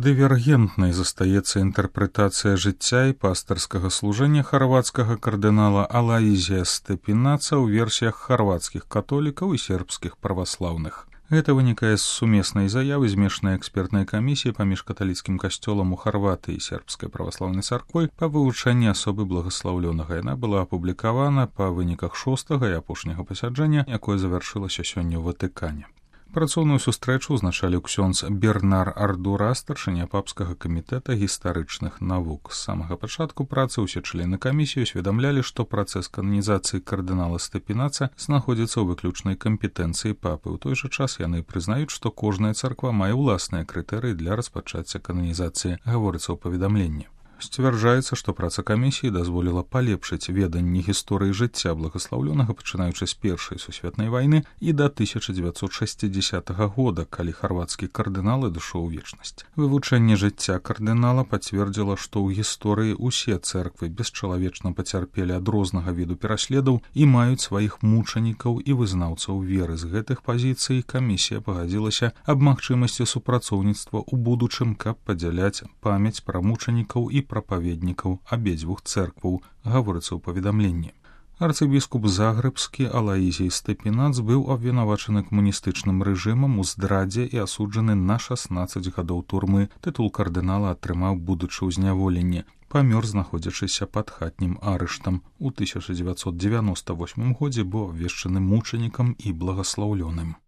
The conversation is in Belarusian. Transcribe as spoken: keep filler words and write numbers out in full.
Дывергентнай застаецца інтэрпрэтацыя жыцця і пастырскага служэння харвацкага кардынала Алаізія Степінаца ў версіях харвацкіх католікаў і сербскіх праваслаўных. Гэта вынікае з сумеснай заявы змешанай экспертнай камісіі паміж каталіцкім касцёлам у Харватыі і сербскай праваслаўнай царквой па вывучэнні асобы благаслаўлёнага. Яна была апублікавана па выніках шостага і апошняга пасяджэння, якое завяршылася сёння ў Ватыкане. Працоўную сустрэчу ўзначаліў ксёндз Бернар Ардура, старшыня папскага камітэта гістарычных навук. З самага пачатку працы ўсе члены камісіі усведамлялі, што працэс кананізацыі кардынала Степінаца знаходзіцца ў выключнай кампетэнцыі папы. У той жа час яны прызнаюць, што кожная царква мае ўласныя крытэрыі для распачацця кананізацыі, гаворыцца ў паведамленні. Сцвярджаецца, што праца камісіі дазволіла палепшыць веданне гісторыі жыцця благаслаўлёнага, пачынаючы з першай сусветнай вайны і да тысяча дзевяцьсот шэсцідзесятага года, калі харвацкі кардынал адышоў у вечнасць. Вывучэнне жыцця кардынала пацвердзіла, што ў гісторыі ўсе цэрквы бесчалавечна пацярпелі ад рознага віду пераследаў і маюць сваіх мучанікаў і вызнаўцаў веры. З гэтых пазіцый камісія пагадзілася аб магчымасці супрацоўніцтва ў будучым, каб падзяляць памяць пра мучанікаў і прапаведнікаў абедзвюх цэркваў, гаворыцца ў паведамленні. Арцыбіскуп Загрэбскі Алаізій Степінац быў абвінавачаны камуністычным рэжымам у здрадзе і асуджаны на шаснаццаць гадоў турмы. Тытул кардынала атрымаў, будучы ў зняволенні. Памёр, знаходзячыся пад хатнім арыштам. У тысяча дзевяцьсот дзевяноста восьмым годзе быў абвешчаны мучанікам і благаслаўлёным.